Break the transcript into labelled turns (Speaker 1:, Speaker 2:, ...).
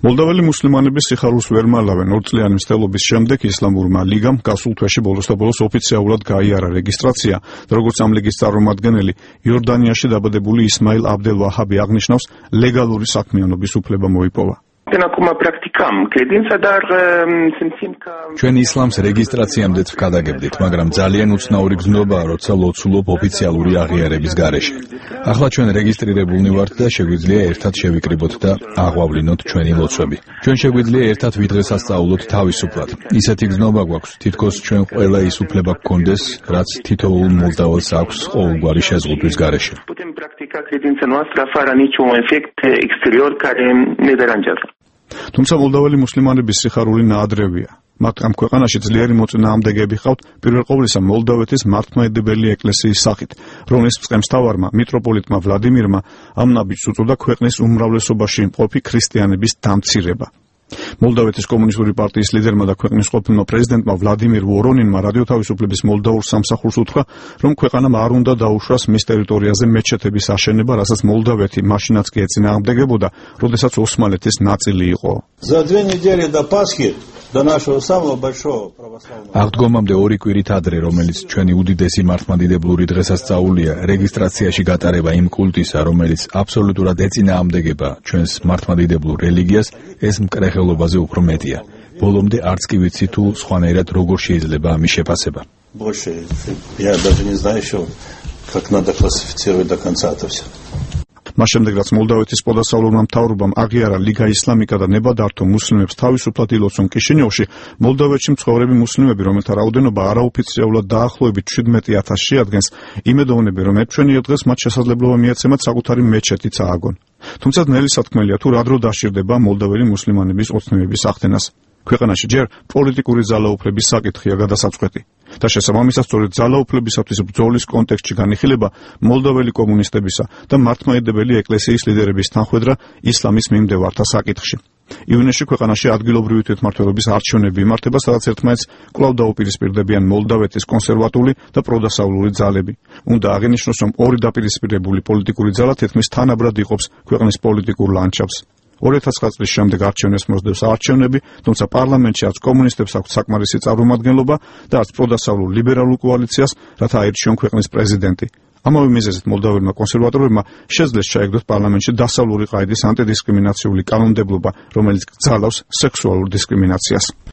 Speaker 1: მოლდაველი მუსლიმანების სიხარულს ვერ მალავენ. 2 წლიანი მცდელობის შემდეგ ისლამურმა ლიგამ გასულ თვეში ბოლოს ოფიციალურად გაიარა რეგისტრაცია და როგორც ამ ლიგის წარმომადგენელი იორდანიაში დაბადებული ისმაილ აბდელ ვაჰაბი აღნიშნავს, ლეგალური საქმიანობის უფლება მოიპოვა.
Speaker 2: ჩვენ ისლამს რეგისტრაციამდეც ვქადაგებდით, მაგრამ ძალიან უცნაური გზნობაა, როცა ლოცულობ ოფიციალური აღიარების გარეშე. ახლა ჩვენ რეგისტრირებულნი ვართ და შეგვიძლია ერთად შევიკრიბოთ და აღვავლინოთ ჩვენი ლოცვები. ჩვენ შეგვიძლია ერთად ვიდღესასწაულოთ თავისუფლად. ისეთი გზნობა გვაქვს, თითქოს ჩვენ ყველა ის უფლება გქონდეს, რაც თითოეულ მოლდაველს აქვს ყოველგვარი შეზღუდვის გარეშე.
Speaker 1: თუმცა მოლდაველი მუსლიმანების სიხარული ნაადრევია. მათ ამ ქვეყანაში ძლიერი მოწინააღმდეგეები ჰყავთ პირველ ყოვლისა მოლდავეთის მართლმადიდებელი ეკლესიის სახით, რომლის მწყემსთავარმა მიტროპოლიტმა ვლადიმირმა ამ ნაბიჯს უწოდა ქვეყნის უმრავლესობაში მყოფი ქრისტიანების დამცირება. მოლდავეთის კომუნისტური პარტიის ლიდერმა და ქვეყნის ყოფილმა პრეზიდენტმა ვლადიმირ ვორონინმა რადიო თავისუფლების მოლდაურ სამსახურს უთხრა, რომ ქვეყანამ არ უნდა დაუშვას მის ტერიტორიაზე მეჩეთების აშენება, რასაც მოლდავეთი მაშინაც კი ეწინააღმდეგებოდა, როდესაც ოსმალეთის ნაწილი იყო.
Speaker 2: აღდგომამდე 2 კვირით ადრე, რომელიც ჩვენი უდიდესი მართლმადიდებლური დღესასწაულია, რეგისტრაციაში გატარება იმ კულტისა, რომელიც აბსოლუტურად ეწინააღმდეგება ჩვენს მართლმადიდებლურ რელიგიას, ეს მკრეხელობაზე უფრო მეტია. ბოლომდე არც კი ვიცი თუ სხვანაირად როგორ შეიძლება ამის შეფასება. მას შემდეგ, რაც მოლდავეთის პოდასავლურმა მთავრობამ აღიარა ლიგა ისლამიკა და ნება დართო მუსლიმებს თავისუფლად ილოცონ კიშინიოვში, მოლდავეთში მცხოვრები მუსლიმები, რომელთა რაოდენობა არაოფიციალურად დაახლოებით 17,000 შეადგენს, იმედოვნებენ, რომ ერთ-ჩვენიერ დღეს მათ შესაძლებლობა მიეცემათ საკუთარი მეჩეთიც ააგონ. თუმცა ძნელი სათქმელია, თუ რა დრო დასჭირდება მოლდაველი მუსლიმანების ოცნებების ახდენას. ქვეყანაში ჯერ პოლიტიკური ძალაუფლების საკითხია გადასაწყვეტი და შესაბამისად სწორედ ძალაუფლებისათვის ბრძოლის კონტექსტში განიხილება მოლდაველი კომუნისტებისა და მართლმადიდებელი ეკლესიის ლიდერების თანხმედრა ისლამის მიმდევართა საკითხში. ივნისში ქვეყანაში ადგილობრივი თვითმმართველობის არჩევნები იმართება, სადაც ერთმანეთს კვლავ დაუპირისპირდებიან მოლდავეთის კონსერვატული და პროდასავლური ძალები. უნდა აღინიშნოს, რომ ორი დაპირისპირებული პოლიტიკური ძალა თითქმის თანაბრად იყოფს ქვეყნის პოლიტიკურ ლანდშაფტს. 2009 წლის შემდეგ არჩევნებს მოსდევს არჩევნები, თუმცა პარლამენტში არც კომუნისტებს აქვს საკმარისი წარმომადგენლობა და არც პროდასავლურ ლიბერალურ კოალიციას, რათა აირჩიონ ქვეყნის პრეზიდენტი. ამავე მიზეზით მოლდაველმა კონსერვატორებმა შეძლეს ჩაეგდოთ პარლამენტში დასავლური ყაიდის ანტიდისკრიმინაციული კანონმდებლობა, რომელიც გძალავს სექსუალურ დისკრიმინაციას.